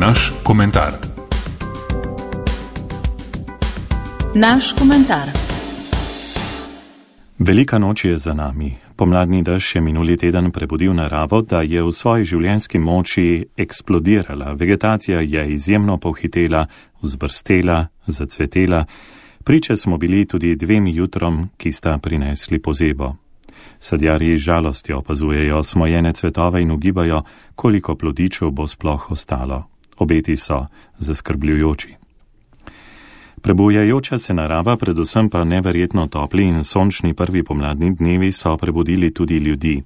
Naš komentar. Naš komentar. Velika noč je za nami. Pomladni dež je minuli teden prebudil naravo, da je v svoji življenjski moči eksplodirala. Vegetacija je izjemno pohitela, vzbrstela, zacvetela. Priče smo bili tudi 2 jutrom, ki sta prinesli pozebo. Sadjarji z žalostjo opazujejo smojene cvetove in ugibajo, koliko plodičev bo sploh ostalo. Obeti so zaskrbljujoči. Prebujajoča se narava, predvsem pa neverjetno topli in sončni prvi pomladni dnevi so prebudili tudi ljudi.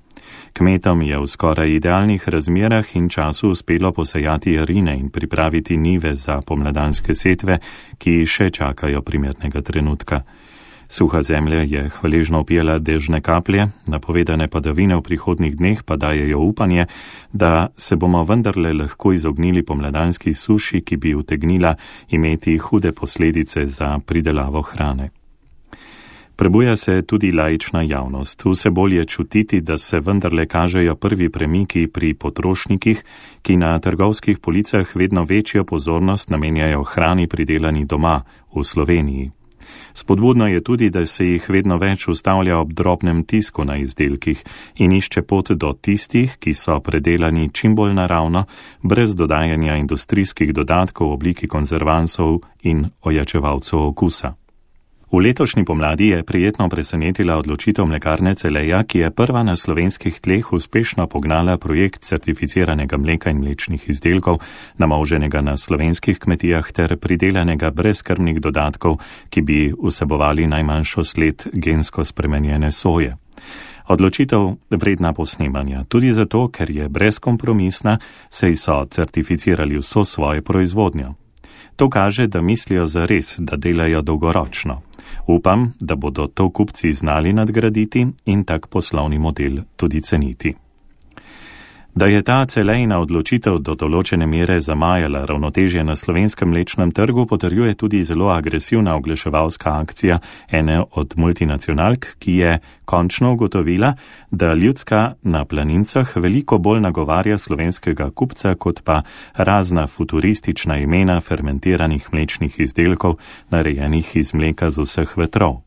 Kmetom je v skoraj idealnih razmerah in času uspelo posejati jarine in pripraviti njive za pomladanske setve, ki še čakajo primernega trenutka. Suha zemlja je hvaležno opijala dežne kaplje, napovedane padavine v prihodnjih dneh pa dajejo upanje, da se bomo vendarle lahko izognili pomladanski suši, ki bi utegnila imeti hude posledice za pridelavo hrane. Prebuja se tudi laična javnost. Vse bolj je čutiti, da se vendarle kažejo prvi premiki pri potrošnikih, ki na trgovskih policah vedno večjo pozornost namenjajo hrani pridelani doma v Sloveniji. Spodbudno je tudi, da se jih vedno več ustavlja ob drobnem tisku na izdelkih in išče pot do tistih, ki so predelani čim bolj naravno, brez dodajanja industrijskih dodatkov v obliki konzervansov in ojačevalcev okusa. V letošnji pomladi je prijetno presenetila odločitev mlekarne Celeja, ki je prva na slovenskih tleh uspešno pognala projekt certificiranega mleka in mlečnih izdelkov, namoženega na slovenskih kmetijah ter pridelanega brez krmnih dodatkov, ki bi vsebovali najmanjšo sled gensko spremenjene soje. Odločitev vredna posnemanja, tudi zato, ker je brezkompromisna, saj so certificirali vso svojo proizvodnjo. To kaže, da mislijo zares, da delajo dolgoročno. Upam, da bodo to kupci znali nadgraditi in tak poslovni model tudi ceniti. Da je ta Celejina odločitev do določene mere zamajala ravnotežje na slovenskem mlečnem trgu, potrjuje tudi zelo agresivna oglaševalska akcija ene od multinacionalk, ki je končno ugotovila, da ljudska na planincah veliko bolj nagovarja slovenskega kupca, kot pa razna futuristična imena fermentiranih mlečnih izdelkov, narejenih iz mleka z vseh vetrov.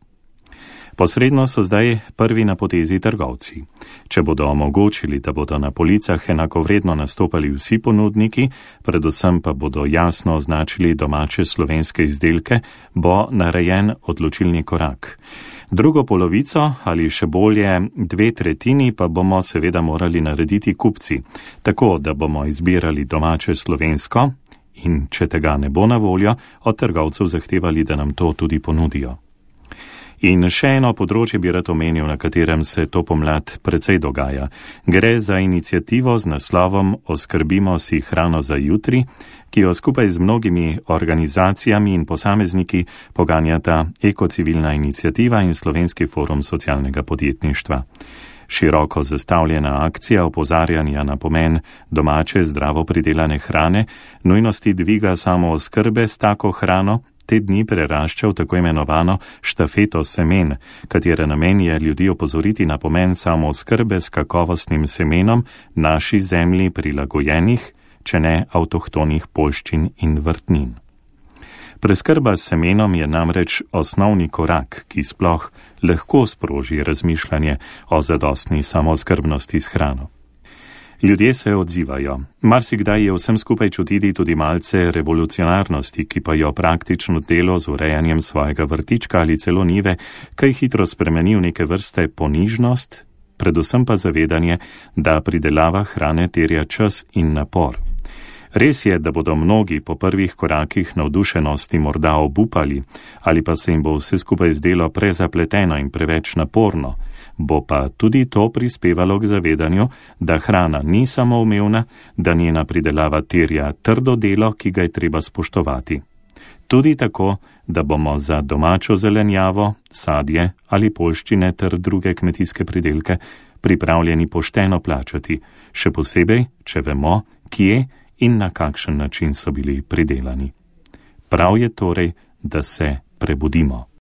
Posredno so zdaj prvi na potezi trgovci. Če bodo omogočili, da bodo na policah enakovredno nastopali vsi ponudniki, predvsem pa bodo jasno označili domače slovenske izdelke, bo narejen odločilni korak. Drugo polovico ali še bolje 2/3 pa bomo seveda morali narediti kupci, tako da bomo izbirali domače slovensko in če tega ne bo na voljo, od trgovcev zahtevali, da nam to tudi ponudijo. In še eno področje bi rad omenil, na katerem se to pomlad precej dogaja. Gre za inicijativo z naslovom Oskrbimo si hrano za jutri, ki jo skupaj z mnogimi organizacijami in posamezniki poganjata Ekocivilna inicijativa in Slovenski forum socialnega podjetništva. Široko zastavljena akcija opozarjanja na pomen domače zdravo pridelane hrane, nujnosti dviga samooskrbe s tako hrano, te dni prerašča v tako imenovano štafeto semen, katere namen je ljudi opozoriti na pomen samooskrbe s kakovostnim semenom naši zemlji prilagojenih, če ne avtohtonih poljščin in vrtnin. Preskrba s semenom je namreč osnovni korak, ki sploh lahko sproži razmišljanje o zadostni samooskrbnosti s hrano. Ljudje se odzivajo. Marsikdaj je vsem skupaj čutiti tudi malce revolucionarnosti, ki pa jo praktično delo z urejanjem svojega vrtička ali celo njive kaj hitro spremeni v neke vrste ponižnost, predvsem pa zavedanje, da pridelava hrane terja čas in napor. Res je, da bodo mnogi po prvih korakih navdušenosti morda obupali, ali pa se jim bo vse skupaj zdelo prezapleteno in preveč naporno, bo pa tudi to prispevalo k zavedanju, da hrana ni samoumevna, da njena pridelava terja trdo delo, ki ga je treba spoštovati. Tudi tako, da bomo za domačo zelenjavo, sadje ali poljščine ter druge kmetijske pridelke pripravljeni pošteno plačati, še posebej, če vemo, kje in na kakšen način so bili pridelani. Prav je torej, da se prebudimo.